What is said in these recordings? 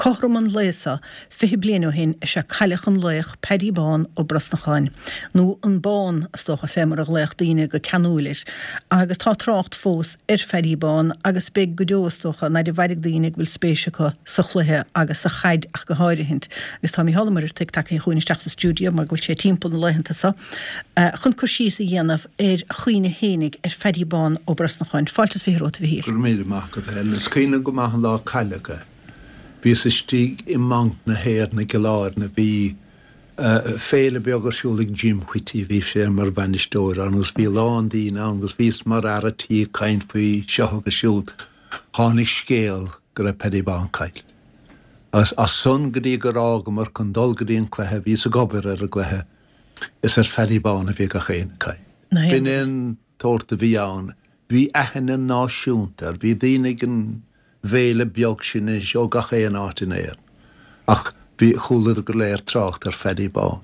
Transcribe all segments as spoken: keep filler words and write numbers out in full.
Cothrom an lae seo, fiche bliain ó shin, is ea cailleadh an laoch Paddy Bán Ó Brosnacháin, nó an Bán, is dócha, fé mar a ghlaodh daoine go ceanúil air. Agus tá trácht fós ar Phaddy Bán, agus beidh go deo, is dócha, an fhaid a mhairfidh daoine go bhfuil spéis acu sa chluiche agus sa chaid ach go háirithint. Agus tá Mícheál Ó Muircheartaigh tagtha chugainn isteach sa stiúideo mar go bhfuil sé timpeall na laethanta seo chun cur síos a dhéanamh ar a chuimhne fhéinig ar Phaddy Bán Ó Brosnacháin. Fáilte is fiche romhat, a Mhichíl. Go raibh míle maith agat, a Helen. Is cuimhin liom go maith an lá a cailleadh é. Bhíos istigh i mBanc na hÉireann i gCill Airne. Bhí féile beag ar siúl ag Jim Whitty, bhí sé mar bhainisteoir ann agus bhí a lán daoine ann agus bhíos mar fhear a' tí ag caint faoi seo agus siúd. Tháinig scéal go raibh Paddy Bán caillte. Agus as san go dtí gur fhágamar chun dul go dtí an cluiche, bhíos ag obair ar an gcluiche, is ar Phaddy Bán a bhí gach éinne ag caint. B'in é an tsórt a bhí ann. Bhí aithne náisiúnta air. Bhí daoine ag an bhféile beag sin anois ó gach aon áit in Éirinn. Ach bhí, chualadar go léir trácht ar Phaddy Bán.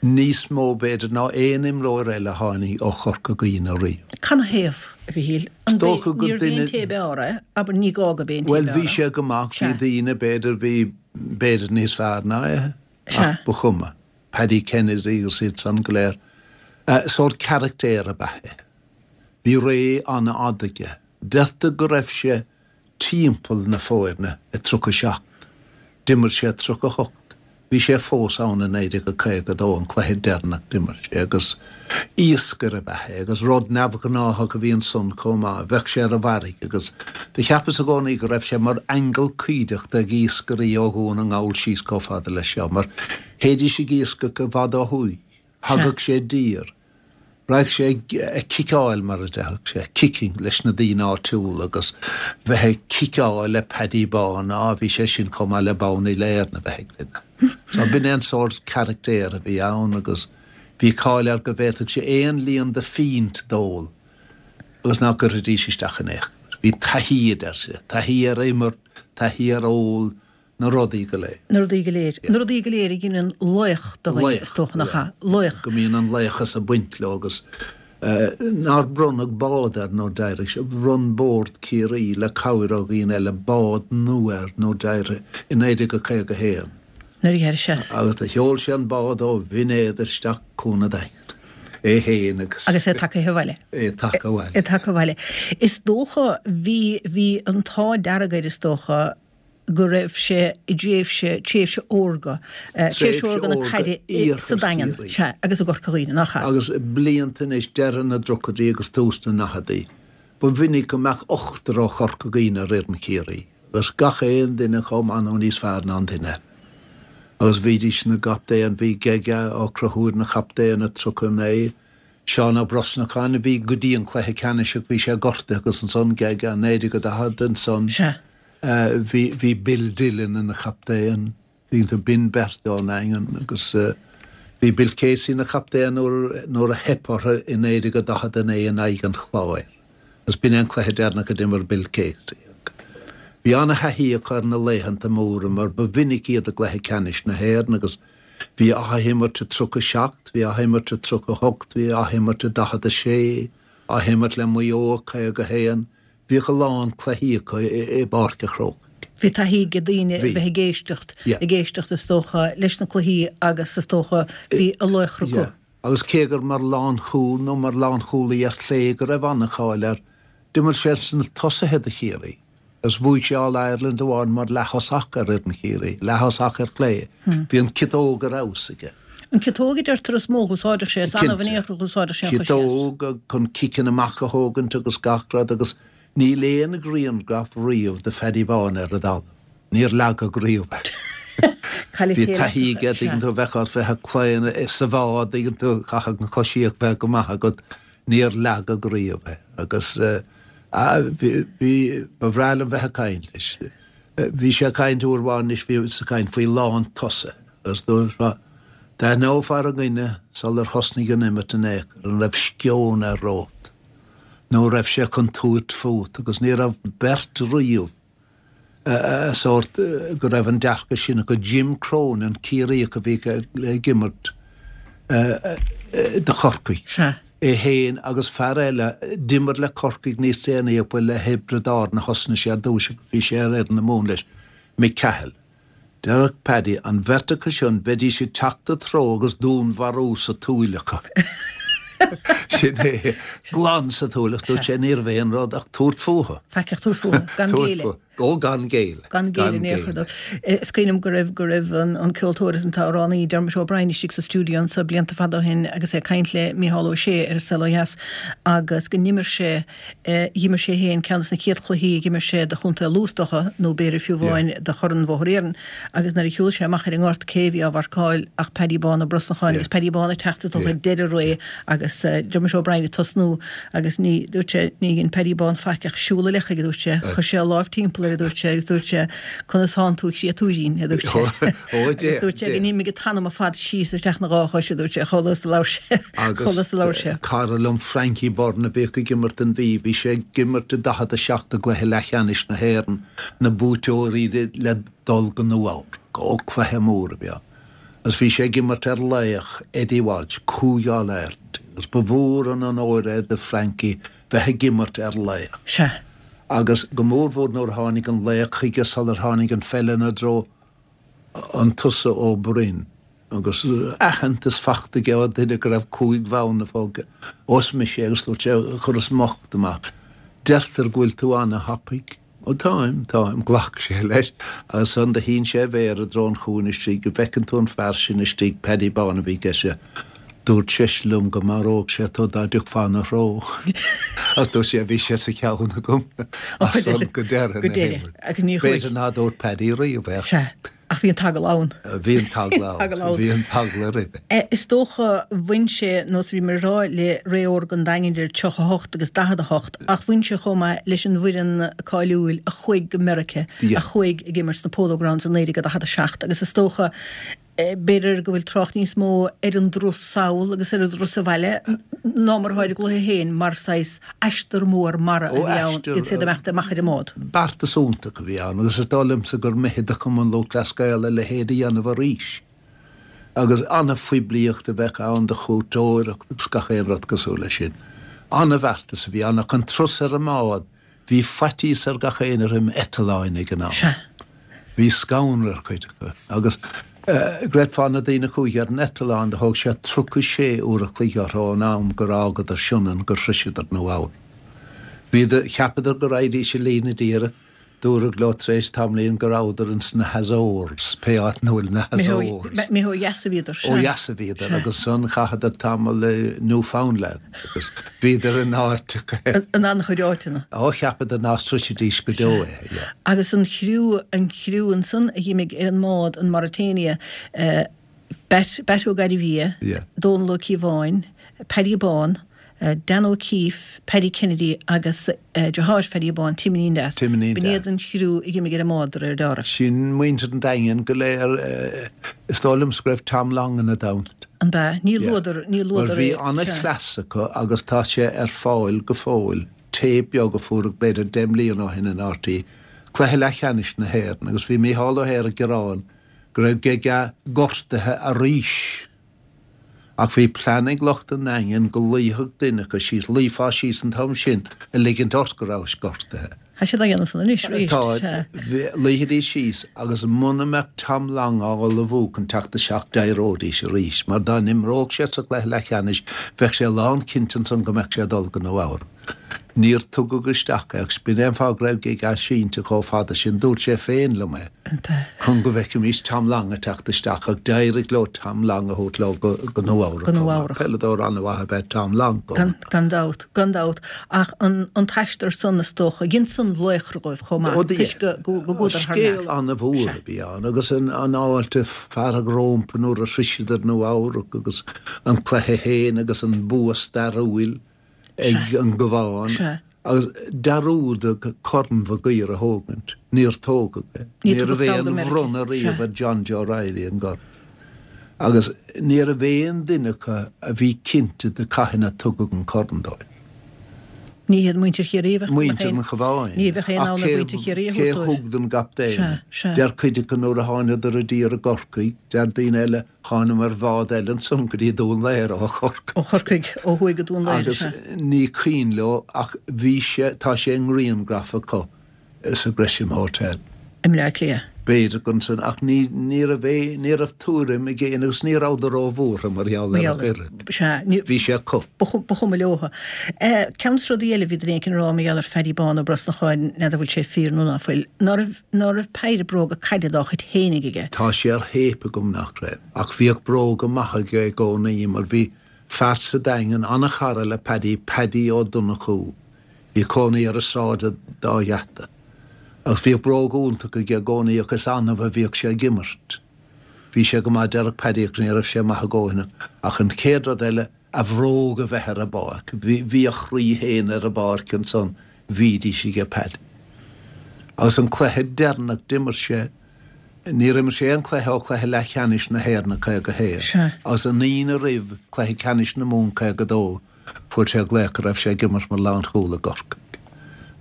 Níos mó, b'fhéidir, ná aon imreoir eile a tháinig ó Chorca Dhuibhne riamh. Canathaobh, a Mhichíl? Is dócha gur Níorbh duine. é an té ab fhearr é, abair, ní gá gurb é an té Bhuel, ab bhí fhearr é. sé go maith, bhí Sea. daoine, b'fhéidir, bhí b'fhéidir níos fearr ná é, Sea. ach ba chuma. Paddy Kennedy agus iad san go léir. Sórt carachtair ab ea é. Bhí ré an-fhada aige. Deirtear go raibh sé timpeall na foirne i tríocha seacht. D'imir sé tríocha hocht. Bhí sé fós ann i naoi déag a caoga dó, an cluiche deireanach d'imir sé agus iascaire ab ea é agus rud neamhghnáthach a bhí ansan chomh maith. Bheadh sé ar an bhfarraige agus do cheapas i gcónaí go raibh sé mar aingeal cuideachta ag iascairí ó Dhún na nGall síos chomh fada leis seo mar théidís ag iascach i bhfad ó thuaidh. Thagadh sé i dtír. Raghadh sé ag ciceáil, mar a déarfadh sé, kicking, leis na daoine áitiúla agus bheith ag ciceáil le Paddy Bán, á, bhí sé sin chomh maith le bonn Uile-Éireann a bheith ag duine. So b'in é an sórt carachtair a bhí ann agus bhí cáil air go bhféadfadh sé aon líon de phínt d'ól agus ná gcuirfidís isteach in aon chor. Bhí taithí, a deir sé, taithí ar imirt, taithí ar ól, Na rudaí go léir. Na rudaí go léir. Na rudaí go léir a ghineann laoch de dhuine, is dócha, nach ea? Laoch. Go mbíonn an laochas ag baint leo agus nár bronnadh bád air nuair d'éirigh sé, bhronn Bord Ciarraí le cabhair ó dhaoine eile bád nua air nuair d'éirigh i naoi déag a caoga a haon. Nuair a d'éirigh sé. Agus do sheol sé an bád ó Bhinn Éadair isteach Cuan an Daingin. É féin agus. Agus é tagtha abhaile. É tagtha abhaile. É tagtha abhaile. Is dócha, bhí, bhí an t-ádh dearg air is dócha, go raibh sé i dtréimhse, tréimhse órga, tréimhse órga na caide sa Daingean, sea, agus i gCorca Dhuibhne, nach ea? Agus blianta anois, deireadh na dtríochaidí agus tús na ndaicheadaí, ba mhinic go mbeadh ochtar ó Chorca Dhuibhne ar fhoireann Chiarraí, agus gach aon duine chomh maith nó níos fearr ná an duine eile. Agus bhídís ina gcaptaen, bhí Gega Ó Conchúir ina chaptaen i tríocha a naoi, Seán Ó Brosnacháin a bhí go dtí an cluiche ceannais ach bhí sé gortaithe agus ansan Gega, naoi déag a daichead ansan. Sea. Bhí bhí Bill Dillon ina chaptaen, daoine b'in beirt ón nDaingean agus bhí Bill Casey ina chaptaen nuair nuair a theip orthu i naoi déag a daichead a naoi in aghaidh an Chláir agus b'in é an cluiche deireanach a d'imir Bill Casey. Bhí ana-thaithí acu ar na laethanta móra mar ba mhinic iad i gcluiche ceannais na hÉireann agus bhí athimirt i tríocha seacht, bhí athimirt i tríocha hocht, bhí athimirt i daichead a sé, athimirt le Maigh Eo i caoga a haon. Bhíodh a lán cluichí acu i bPáirc a' Chrócaigh. Bhí taithí ag daoine a Bhí. bheith ag éisteacht, Yeah. ag éisteacht is dócha leis na cluichí agus is dócha bhí a laochra acu. Yeah. Agus cé gur mar lánchúl nó mar lánchúlaí ar chlé go raibh an-cháil air, d'imir sé sna tosaithe do Chiarraí agus bhuaigh sé All Ireland amháin mar leath-thosach ar fhoireann Chiarraí, leath-thosach ar chlé. Bhí an ciotóg ar fheabhas aige. An ciotóg a deirtear is mó a dh'úsáideadh sé, is annamh in Cinnte. aon chor a dh'úsáideadh sé an chois dheas. Ciotóg chun ciceanna amach a thógaint agus gach rud agus níl aon ghrianghraf riamh de Phaddy Bán ar an dtalamh. Níor leagadh riamh é. Cailleadh Bhí céile taithí aige, sea. dtuigeann tú, bheadh ort bheith ag claonadh sa bhád, dtuigeann tú, chaithfeadh an choisíocht bheith go maith agat, níor leagadh riamh é. Agus bhí, bhí, ba bhreá liom bheith ag caint leis. Bhí sé ag caint uair amháin anois, bhí sé ag caint faoi lántosaithe agus dúirt, D'aithneofá ar an nduine sular thosnaigh an imirt in aon chor an raibh sceon air romhat nó an raibh sé chun tabhairt fút agus ní raibh beirt riamh sórt go raibh an dearcadh sin acu. Jim Cronin, Ciarraíoch a bhí ag imirt do Chorcaigh, é féin agus fear eile, d'imir le Corcaigh níos déanaí ach ba le Thiobraid Árann a thosnaigh sé ar dtús agus bhí sé ar fhoireann na Mumhan leis, Mick Cahill. Déarfadh Paddy, an bheirt acu sin, bheidís ag teacht i do threo agus dúnmharú sa tsúil acu. Sin é, glan sa tsúil ach dúirt sé níorbh aon rud ach tabhairt fúthu. Faic ach tabhairt fúthu, gan géilleadh. Ó, gan géilleadh. Gan géilleadh in aon chor dóibh. Is cuimhin liom go raibh, go raibh an, an ceoltóir is an t-amhránaí Dermot O'Brien istigh sa stiúideo anso blianta fada ó shin agus é ag caint le Mícheál Ó Sé ar An Saol Ó Dheas agus go n-imir sé D'imir sé féin ceann de na chéad chluichí a d'imir sé do chontae Lú is dócha, nó b'fhéidir fiú amháin do Chorn Bhóthar Iarainn, agus nuair a shiúil sé amach ar an ngort cé a bhí á mharcáil ach Paddy Bán Ó Brosnacháin agus Paddy Bán ag teacht is dócha ag deireadh a ré agus Dermot O'Brien ag tosnú agus ní, dúirt sé, ní dhein Paddy Bán faic ach siúl i leith chuige, dúirt sé, chuir sé a láimh timpeall air, a dúirt sé, agus dúirt sé, conas thánn tú a chréatúirín, a dúirt sé. Agus dúirt sé go n-imigh an t-anam ar fad síos isteach ina dhá chois, a dúirt sé, chomh luath is a labhair sé, chomh luath is a labhair sé. Agus cara liom Frankie Byrne a bhíodh ag imirt don Mhí, bhí sé ag imirt i daichead a seacht i gcluiche leathcheannais na hÉireann, na buaiteoirí le dul go Nua-Eabhrac. Ó, cluiche mór a bhí ann. Agus bhí sé ag imirt ar laoch, Eddie Walsh, Cúige All-Ireland, agus ba mhór an onóir é do Frankie bheith ag imirt ar laoch. Sea. Agus go mórmhór nuair a tháinig an laoch chuige sular tháinig an pheil ina dtreo, An tusa Ó Broin? Agus aitheantas fachta aige ó dhuine go raibh cúig bhonn fágtha. Ó is mise é agus dúirt sé, chuireas m'ucht amach. Deirtear go bhfuil tú ana-thapaidh. Ó táim, táim, ghlac sé leis. Agus ansan do shín sé a mhéar i dtreo an chúinne istigh, go bhfeiceann tú an fear sin istigh, Paddy Bán a bhí i gceist. Dúirt seisean liom go maródh sé tú dá dtiocfá ina threo. Agus dúirt sé, bhí sé sa cheann agam as san go deireadh na himeartha. B'fhéidir ná dúirt Paddy riamh é. Sea, ach bhí an t-eagla ann. Bhí an t-eagla ann. Bhí an t-eagla roimhe. Is dócha, bhain sé, nós a bhí mé ag rá, le ré órga an Daingin idir tríocha a hocht agus daichead a hocht, ach bhain sé chomh maith leis an bhfoireann cáiliúil a chuaigh go Meiriceá, a chuaigh ag imirt sna Polo Grounds i naoi déag daichead a seacht agus is dócha, B'fhéidir go bhfuil trácht níos mó ar an dturas sall agus ar an dturas abhaile ná mar atá ar an gcluiche féin mar saghas aistear mór mara a bhí ann iad ag imeacht amach ar an mbád. Beartas iontach a bhí ann agus is dóigh liomsa gur mithid do Chumann Lúthchleas Gael a leithéid a dhéanamh arís. Agus an-phoiblíocht a bheadh ann do chuairteoireacht agus gach aon rud cosúil leis sin. An-bheartas a bhí ann ach an turas ar an mbád, Bhí faitíos ar gach éinne roim eitleáin ag an am. Sea. Bhí scanradh ar chuid acu. Agus gcreidfeá na daoine a chuaigh ar an eitleán, do thóg sé tríocha sé uair a chloig orthu ón am gur fhágadar Sionainn gur shroiseadar Nua Eabhrac. Bhíodar, cheapadar go raghaidís i líne díreach, dúradh leo tar éis tamaillín go rabhadar ins na hAzores, pé áit ina bhfuil na Azores. Imithe ó dheas a bhíodar, sea. Ó dheas a bhíodar agus ansan chaitheadar tamall i Newfoundland agus bhíodar in áiteacha. In an-chuid áiteanna. Ó, cheapadar ná sroisfidís go deo é, yeah. Agus an chriú, an chriú ansan a dh'imigh ar an mbád, an Mauretania, Batt, Batt Ó Gairbhia, Dónal Ó Cíobháin, Paddy Bán, Dan O'Keefe, Paddy Kennedy agus deartháir Phaddy Bán, Timonín Deas. Timonín B'in Deas. iad an chriú a dh'imigh ar an mbád de réir dealraimh. Sin muintir an Daingin go léir. Is dóigh liomsa go raibh Tom Long ina dteannta. An b'ea? Ní luadar, ní Mar luadar bhí é. Sea. an-chleas acu agus tá sé ar fáil go fóill, téip beag a fuaireadh b'fhéidir deich mbliana ó shin in RTÉ, Cluiche Leathcheannais na hÉireann agus bhí Mícheál Ó hEadhra ag gearán go raibh Gega gortaithe arís. Ach bhí plean ag lucht an Daingin go luífeadh duine acu síos, luífeá síos an t-am sin a ligint ort go rabhais gortaithe. Tá siad á dhéanamh san anois arís, Tá, sea. luífidís síos agus muna mbeadh Tom Long á ullmhú chun teacht isteach d'éireoidís arís mar dá n-imreodh sé sa gcluiche leathcheannais bheadh sé lánchinnte ansan go mbeadh sé ag dul go Nua Eabhrac. Níor tugadh isteach é agus b'in é an fáth go raibh Gega sínte chomh fada sin, dúirt sé féin liom é, chun go bhfeicfimis Tom Long ag teacht isteach ach d'éirigh leo Tom Long a thabhairt leo go go Nua Eabhrac Go chomh Nua maith. Eabhrac. Peileadóir an-mhaith ab ea Tom Long chomh Gan, maith. gan dabht, gan dabht. Ach an, an t-aistear san is dócha, dhein san laochra dhóibh chomh Ó maith, do toisc go, go, go gcuadar thar lear. Scéal an-mhór Sea. a bhí ann agus an, an fháilte fearadh rómpa nuair a shroiseadar Nua Eabhrac agus an cluiche féin agus an bua stairiúil. ag an gCabhán agus dearúdadh Corn Mhig Uidhir a thógaint. Níor tógadh é. Níor Ní tugadh raibh sall aon go Meiriceá. bhronnadh riamh ar John Joe Reilly an gcorn. Agus ní raibh aon duine acu a bhí cinnte de cathain a tugadh an corn dóibh. Ní hiad muintir Chiarraí a bheadh Muintir an Chabháin. Ní bheadh aon Ach ann ar cé mhuintir Chiarraí a cé thabhairt dóibh. thug don gcaptaen Sea, é? sea. Deir cuid acu nuair a thánadar i dtír i gCorcaigh, deir daoine eile, Thánamar ar bhád eile ansan go dtí Dún Laoghaire ó Chorcaigh. Ó Chorcaigh, ó thuaidh go Dún Laoghaire, Agus sea. ní cuimhin leo ach bhí sé, tá sé i ngriangraf acu sa Gresham Hotel. I mBleá Cliath. B'fhéidir gur ansan, ach ní, ní raibh é, ní raibh tuairim ag éinne agus ní rabhadar róbhuartha mar gheall Mar air gheall ach air. oiread. Sea, ní, Bhí sé acu. ba chu- ba chuma leotha. Eh, Ceann de na rudaí eile a bhí duine éicint ag rá mar gheall ar Phaddy Bán Ó Brosnacháin, n'fheadar bhfuil sé fíor nó ná fuil, ná raibh, ná raibh péire bróga caide dá chuid fhéinig aige. Tá sé ar théip agam nach raibh, ach bhíodh bróga maithe aige i gcónaí mar bhí fear sa Daingean, an-chara le Paddy, Paddy Ó Donnchú. Bhí cónaí air ar Sráid an Dá Gheata. Ach bhíodh bróga iontacha aige i gcónaí ach is annamh a bhíodh sé ag imirt. Bhí sé go maith deireadh Paddy ach ní raibh sé maith i gcónaí. Ach an chéad rud eile, a bhróga bheith ar an bpáirc. Bhí, bhí a chroí féin ar an bpáirc ansan, bhídís aige Paddy. Agus an cluiche deireanach d'imir sé, níor imir sé aon chluiche ó chluiche leathcheannais na hÉireann caoga a haon. Sea. Agus an Aoine roimh chluiche ceannais na Mumhan caoga a dó, fuair sé glaoch go raibh sé ag imirt mar lánchúl i gCorcaigh.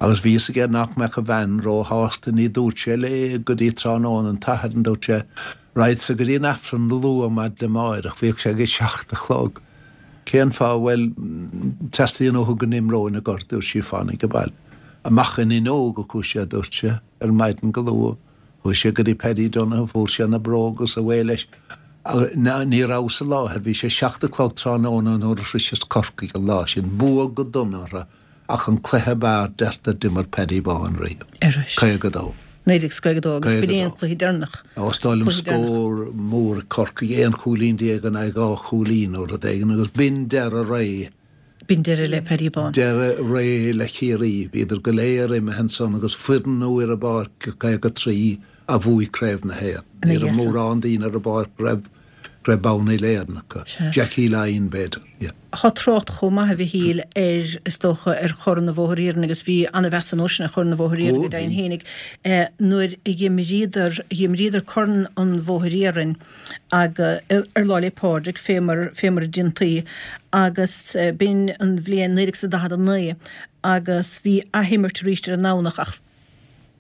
Agus bhí fhios aige nach mbeadh a bhean róshásta, ní dúirt sé léi go dtí tráthnóna an tSathairn, dúirt sé, raghadsa go dtí an Aifreann luath maidin amáireach, bhíodh sé ag a seacht a chlog. Cén fáth, bhuel, teastaíonn uathu go n-imreoinn i gCorcaigh, dúirt sí, fan ag baile. Amach an fhuinneog a chuaigh sé, dúirt sé, ar maidin go luath. Chuaigh sé go dtí Paddy Donoghue, fuair sé na bróga agus away leis. Ní ní rabhas i láthair, bhí sé seacht a chlog tráthnóna nuair a shroiseas Corcaigh an lá sin, bua go dona orthu, ach an cluiche ab fhearr deirtear d'imir Paddy Bán riamh. Ar ais. Caoga a dó. Naoi déag caoga a dó agus Caoga b'in é an dó. cluiche deireanach. Is dóigh liom Cluiche deireanach. scór mór Corcaigh, aon chúilín déag in aghaidh dhá chúilín nó rud éigin agus b'in deireadh ré. B'in deireadh le Paddy Bán. Deireadh ré le Ciarraí, bhíodar go léir imithe ansan agus foireann nua ar an bpáirc caoga trí a bhuaigh Craobh na hÉireann. Ina Ní raibh dhiaidh san. mórán daoine ar an bpáirc go raibh go raibh bonn Uile-Éireann acu. Sea. Jackie Lyon b'fhéidir, yeah. Tá trácht chomh maith a Mhichíl ar is dócha ar Chorn an Bhóthair Iarainn agus bhí an-mheas an uair sin ar Chorn an Bhóthair Iarainn Ó, go deimhin bhí. fhéinig eh, nuair a dh'imríodar dh'imríodar Corn an Bhóthair Iarainn ag ar Lá 'le Pádraig fé mar fé mar a déantaí agus eh, b'in an bhliain naoi déag is a daichead a naoi agus bhí athimirt arís ar an nDomhnach ach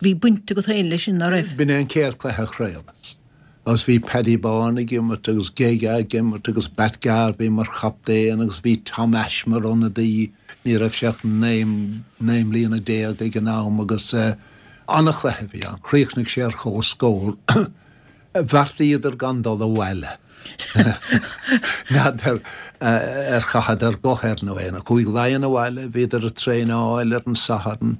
bhí baint agat féin leis sin ná raibh. B'in é an chéad chluiche a chraolas. Agus bhí Paddy Bán ag imirt agus Gega ag imirt agus Bat Garvey mar chaptaen agus bhí Tom Ashe mar ionadaí, ní raibh sé ach naoi naoi mbliana déag ag an am agus uh, an-chluiche a bhí ann. Chríochnaigh sé ar chomhscór. Bheartaíodar gan dul abhaile. N'fheadar uh, ar chaitheadar guth air nó aon. Chuaigh Laighean abhaile, bhíodar ag traenáil ar an Satharn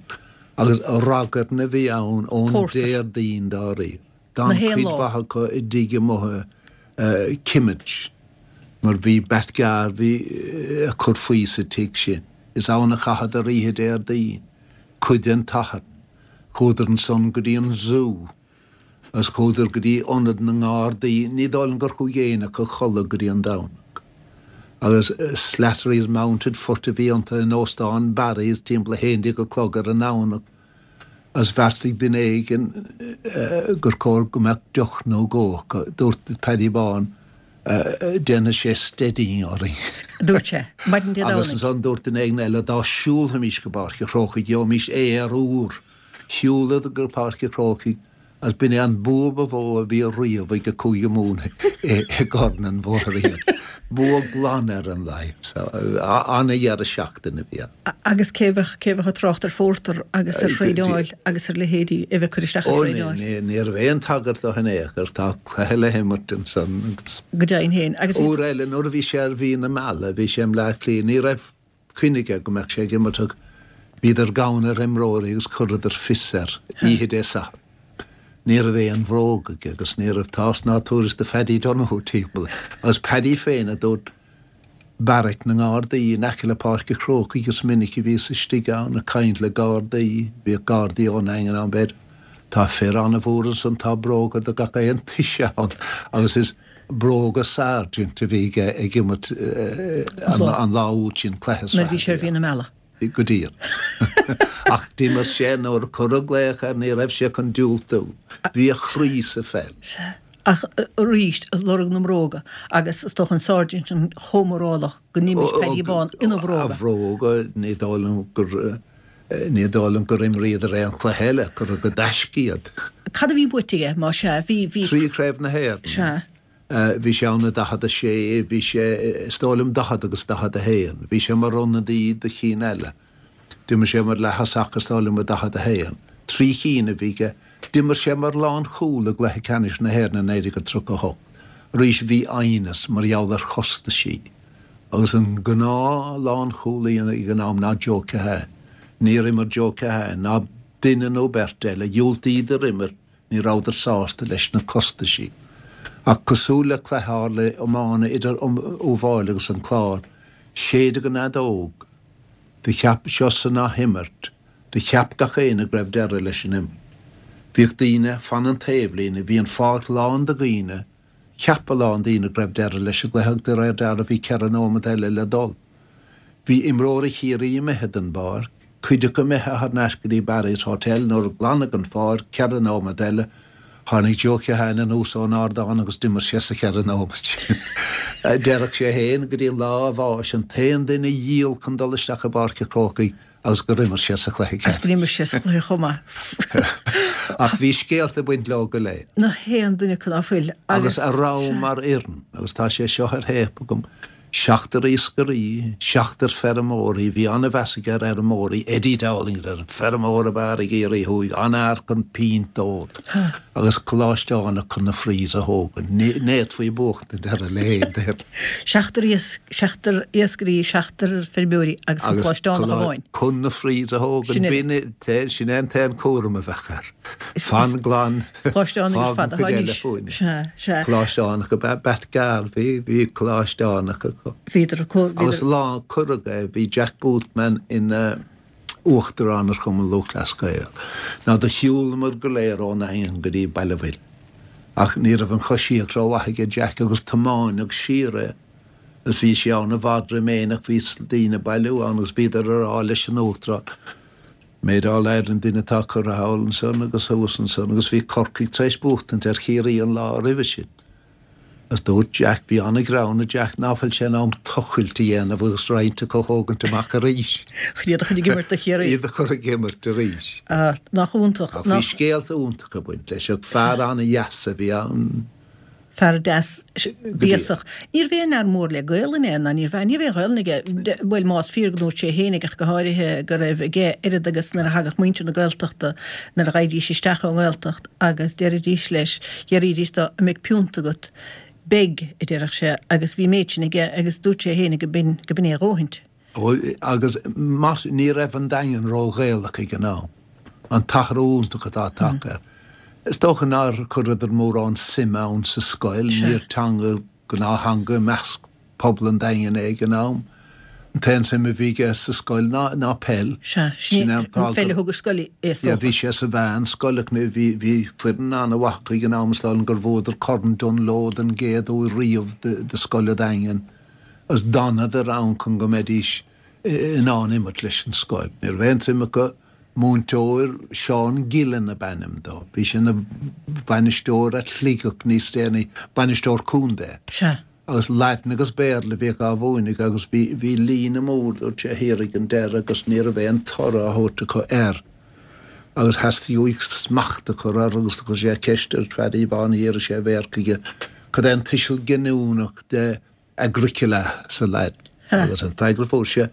agus ragairne a bhí ann ón Pórtar. Déardaoin dáiríre. Na D'fhan haon cuid lá. mhaith acu i dtigh amuigh uh, Kimmage, mar bhí Bat Garvey uh, ag cur faoi sa tigh sin. Is ann a chaitheadar oíche Déardaoin, cuid den tSatharn. Chuadar ansan go dtí an zoo, agus chuadar go dtí ionad na nGardaí, ní dóigh liom gur chuaigh éinne acu a chodladh go dtí an Domhnach. Agus uh, Slattery's Mounted Foot a bhí iontu in óstán Barry's timpeall a haon déag a chlog ar an nDomhnach. Agus bheartaigh duine éigin uh, gur chóir go mbeadh deoch nó dhó acu. Dúirt Paddy Bán uh, déanfaidh sé steadying orainn. Dúirt sé, maidin Dé Agus Domhnaigh. ansan dúirt duine éigin eile dá siúlfaimis go Páirc an Chrócaigh, gheobhaimis aer úr. Shiúladar go Páirc an Chrócaigh agus b'in é an bua ba mhó a bhí riamh ag an Cúige Mumhan i gCorn an Bhóthair Iarainn. Bua glan ar an Laighin. So, an-dheireadh seachtaine a bhí ann. A- Agus cé bheadh cé bheadh ag trácht ar phórtar agus ar Eh, thraenáil agus ar leithéidí a bheith cur isteach ar Ó, ní thraenáil. ní- ní raibh aon tagairt do in aon chor, tá cluiche le himirt ansan agus Go deimhin féin. Agus bhí- Uair eile nuair a bhí sé ar mhí na meala, bhí sé i mBleá Cliath, ní raibh cuimhne aige go mbeadh sé ag imirt ach bhíodar gann ar imreoirí agus chuireadar fios air oíche Dé Sathairn. Ní raibh aon bhróg aige agus ní raibh tásc ná tuairisc de Phaddy Donoghue timpeall. Agus Paddy féin a dúirt beairic na nGardaí in aice le Páirc an Chrócaigh agus minic a bhíos istigh ann ag caint le Gardaí, bhíodh Gardaí ón Daingean ann b'fhéidir. Tá fir an-mhór ansan tá bróga do gach aon toise ann agus is bróga Sargent a bhí aige ag imirt eh, an, an lá úd sin cluiche nuair bhí sé ar sraithe. mhí na meala. Go díreach. Ach d'imir sé nuair a cuireadh glaoch air ní raibh sé chun diúltú. Bhí a chroí sa pheil. Ach eh, arís lorg na mbróga agus is dócha an Sergeant an chomh mórálach go n-imir Paddy Bán ina A bhróga. bhróga ní dóigh liom gur eh, ní dóigh liom gur imríodar aon chluiche eile gur go dtaisce iad. Cad a bhí buaite aige má sea bhí bhí Trí Chraobh na hÉireann. Sea. Uh, bhí sé ann i daichead a sé, bhí sé is dóigh liom daichead agus daichead a haon. Bhí sé mar ionadaí do chinn eile. D'imir sé mar leath-thosach is dóigh liom i daichead a haon. Trí cinn a bhí aige D'imir sé mar lánchúl i gcluiche ceannais na hÉireann i naoi déag tríocha a hocht. Arís bhí aighneas mar gheall ar chostaisí agus an gnáth lánchúlaí ag an am ná Joe Keohane. Níor imir Joe Keohane ná duine nó beirt eile, dhiúltaíodar imirt, ní rabhadar sásta leis na costaisí. Ach cosúil le cluiche a tharla iomána idir Uíbh Fhailí agus an Clár, séideadh an fheadóg. Do cheap seo san athimirt, do cheap gach éinne go raibh deireadh leis an imirt. Bhíodh daoine fan an taobhlíne, bhí an pháirc lán de dhaoine, cheap a lán daoine go raibh deireadh leis an gcluiche ach de réir dealraimh bhí ceithre nóiméad eile le dul. Bhí imreoirí Chiarraí imithe den bpáirc, cuid acu imithe thar n-ais go dtí Barry's Hotel nuair a glanadh an pháirc, ceithre nóiméad eile, Tháinig Joe Keohane anuas ón ardán agus d'imir sé sa cheithre nóiméad sin. Déarfadh sé féin go dtí lá a bháis, an t-aon duine a dhíol chun dul isteach i bPáirc an Chrócaigh agus gur imir sé sa chluiche Agus gur imir sé sa chluiche chomh maith. Ach bhí scéalta ag baint leo go léir. Nach haon duine acu ná fuil. Agus a rabhamar fhoireann, agus tá sé seo ar théip agam, Seachtar iascairí, seachtar feirmeoirí, bhí an-mheas aige ar fheirmeoirí, Eddie Dowling, an feirmeoir ab fhearr i gCiarraí Thuaidh, an-fhear chun pínt a ól, agus coláisteánach chun na frees a thógaint. Ní fhéadfaí buachtaint ar a leithéid d'fhoireann. Seachtar seachtar iascairí, seachtar feirmeoirí agus an coláisteánach amháin. Chun na frees a thógaint, b'in, sin é an t-aon chúram a bheadh air. Fan glan, Coláisteánach ar fág fad an atá chuid eile anois. fúinn. Sea, sea. Coláisteánach ab ea Pat Garvey, bhí coláisteánach acu. Bhíodar acu, Agus bhíodar. lá a cuireadh é, bhí Jack Boothman ina uachtarán ar Chumann Lúthchleas Gael. Ná do shiúlamar go léir ón nDaingean go dtí Baile Mhill. Ach ní raibh an choisíocht rómhaith aige Jack agus tiomáineadh siar é. Agus bhí sé ann i bhfad roim éinne ach bhí daoine ag bailiú ann agus bhíodar ag rá leis an uachtarán, Méid All Ireland duine atá curtha thall ansan agus thuas ansan agus bhí Corcaigh tar éis buachtaint ar Chiarraí an lá roimhe sin. Agus dúirt Jack, bhí an-ghreann ar Jack ná fuil sé in am tochailt a dhéanamh agus roinnt acu a thógaint amach arís. Chun iad a chur ag imirt do Chiarraí. Iad a chur ag imirt arís. Ah, nach iontach. Ach bhí scéalta iontacha ag baint leis. Fear an-dheas a bhí ann. Fear deas béasach. Níorbh aon fhear mór le Gaolainn é, ná níorbh ea, ní raibh aon Ghaolainn aige, bhuel, más fíor go ndúirt sé fhéinig ach go háirithe go raibh aige oiread agus nuair a thagadh muintir na Gaeltachta, nuair a ghabhaidís isteach ón nGaeltacht agus deiridís leis, deiridís dó, an mbeidh piúnt agat? Beidh, a déarfadh sé, agus bhí an méid sin aige agus dúirt sé fhéinig go b'in, go b'in é a dhóthaint. Ó, agus más, ní raibh an Daingean ró-Ghaelach ag an am. An t-athrú iontach atá tagtha air. Is dócha nár chuireadar mórán suime ann sa scoil, níor teanga, gnáth-theanga i measc pobal an Daingin é ag an am. An t-aon suim a bhí aige sa scoil ná, ná peil. Sea, sin é an pheil a thug ar scoil é, is dócha. Bhí sé sa mheánscoil ach ní, bhí, bhí foireann an-mhaith acu ag an am, is dóigh liom gur bhuadar Corn Dunlo den gcéad uair riamh do, do scoil an Daingin agus d'fhanadar ann chun go mbeidís in ann imirt leis an scoil. Ní raibh aon suim acu Múinteoir, Seán Gillen ab ainm dó. Bhí sé ina bhainisteoir ar Shligeach níos déanaí, bainisteoir contae. Sea. Agus Laidin agus Béarla a bhíodh á mhúineadh agus bhí, bhí líne mór, dúirt sé, thiar ag an deireadh agus ní raibh aon toradh á thabhairt acu air. Agus theastaigh uaidh smacht a chur air agus do chuir sé ceist ar Phaddy Bán, thiar sé a mhéar chuige, cad é an tuiseal giniúnach de Agricola sa Laidin. Agus an freagra a fuair sé,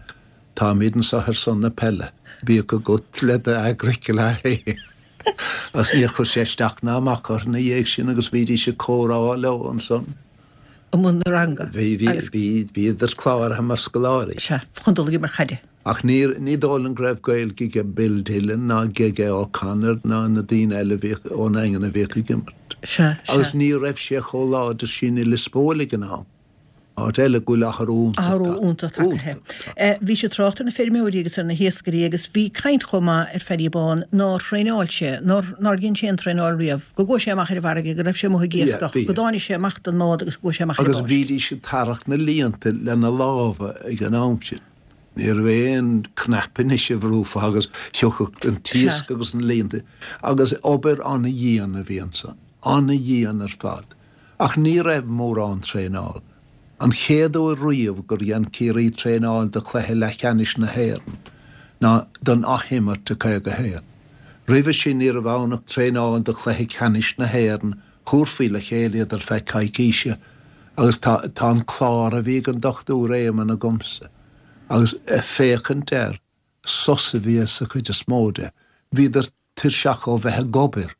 Táimid anseo ar son na peile, bíodh agat le do Agricola féin. Agus níor chuir sé isteach ná amach orthu ina dhiaidh sin agus bhídís ag comhrá leo ansan. I mbun na ranga. Bhí, bhí, bhí, bhíodar cláraithe mar scoláirí. Sea, chun dul ag imirt caide. Ach ní, ní dóigh liom go raibh Gaeilge aige Bill Dillon ná Gege O'Connor ná na daoine eile a bhíodh ón nDaingean a bhíodh ag imirt. Sea, sea. Agus ní raibh sé chomh láidir sin i Lios Póil ag an am. Áit eile go bhfuil athrú iontach Athrú iontach tagtha. Bhí sé ag trácht ar na feirmeoirí agus ar na hiascairí agus bhí caint chomh maith ar Phaddy Bán nár thraenáil sé, nár nár dhein sé aon traenáil riamh, go gcuaigh sé amach ar an bhfarraige, go raibh sé amuigh ag iascach, go dtáinig sé amach den mbád agus go gcuaigh sé amach ar an Agus bpáirc. bhídís ag tarrac na líonta lena lámha ag an am sin. Ní raibh aon cnaipe anois a bhrúfá agus thiocfadh an Sea. t-iasc agus na líonta. Agus obair an-dhian a bhí ansan. An-dhian ar fad. Ach ní raibh mórán traenála. An chéad uair riamh gur dhein Ciarraí traenáil do chluiche leathcheannais na hÉireann ná don athimirt i caoga a haon. Roimhe sin ní raibh ann ach traenáil do chluiche ceannais na hÉireann, thabharfaí le chéile iad ar feadh coicíse agus tá tá an clár a bhí ag an Dochtúir Éamonn agamsa agus ag féachaint air, sos a bhí sa chuid is mó de. Bhíodar tuirseach ó bheith ag obair.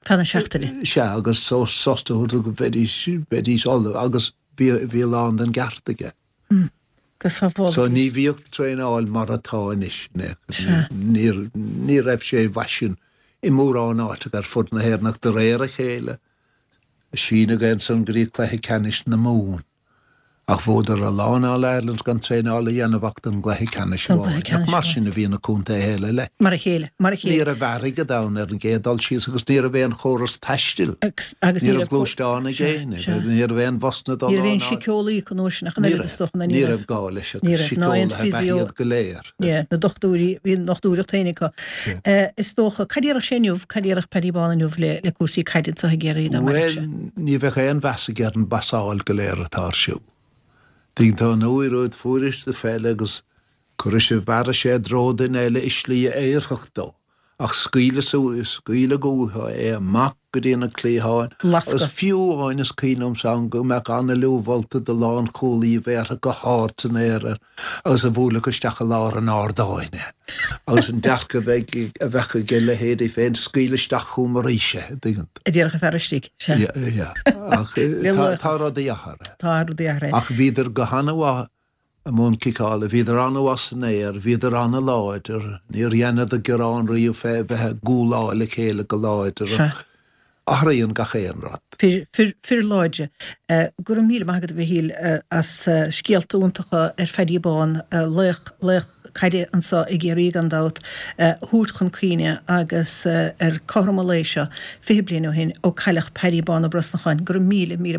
Feadh na seachtaine. Sea, agus sórt sásamh a thabhairt go mbeidís, bheidís ullamh agus bhí, bhí a lán den gceart aige. Go sábhála. So ní bhíodh traenáil mar atá anois, níor, ní raibh sé i bhfaisean i mórán áiteacha ar fud na hÉireann ach de réir a chéile síneadh é ansan go dtí cluiche ceannais na Mumhan. Ach bhuadar a lán All Irelands gan traenáil a dhéanamh ach don gcluiche ceannais amháin. Nach mar sin a bhí na contaetha eile leis. Mar a chéile, mar a chéile. Ní raibh airgead ann ar an gcéad dul síos agus ní raibh aon chóras taistil. Ní raibh gluaisteán ag éinne, ní raibh aon bhusanna dul Ní raibh aon síceolaí acu an uair sin ach an oiread is dócha, ní raibh gá leis agus síceolaithe ab ea iad go léir. Na dochtúirí, bhí an dochtúireacht féin acu. Is dócha, cad a déarfadh sé inniu, cad a déarfadh Paddy Bán inniu le cúrsaí caide anseo i gCiarraí dá mbeadh sé? Bhuel, ní bheadh aon mheas aige ar an bpasáil go léir atá ar siúl. Tuigeann tú an uair úd fuairis do pheil agus chuiris sé, bhearraigh sé i dtreo duine eile i slí a oirfeadh dó, ach scaoileadh suas, scaoileadh uathu é amach go dtí na cliatháin agus fiú amháin is cuimhin liomsa ann go mbeadh an-liú mholta de lánchúlaí a bhéarfadh go hard san aer air agus a bhuailfeadh isteach i lár an ardáin é. Agus an dearcadh a bheidh, a bheadh ag a leithéidí féin, scaoil isteach chugam arís é, tuigeann tú. A déarfadh an fear istigh, sea. Yeah, yeah. Ach tá, tá rudaí athraithe. Tá rudaí athraithe. Ach bhíodar go han-mhaith i mbun ciceála, bhíodar an-mhaith san aer, bhíodar an-láidir, níor dheineadar gearán riamh fé bheith ag gualáil a chéile go láidir. Sea. Athraíonn gach aon rud. Fir, fir, fir láidre. Go raibh míle maith agat, a Mhichíl, as scéalta iontacha ar Phaddy Bán, laoch, laoch caide anseo i gCiarraí gan dabht, a thabhairt chun cuimhne agus ar cothrom an lae seo, fiche bliain ó shin, ó cailleadh Paddy Bán Ó Brosnacháin. Go raibh míle, míle maith.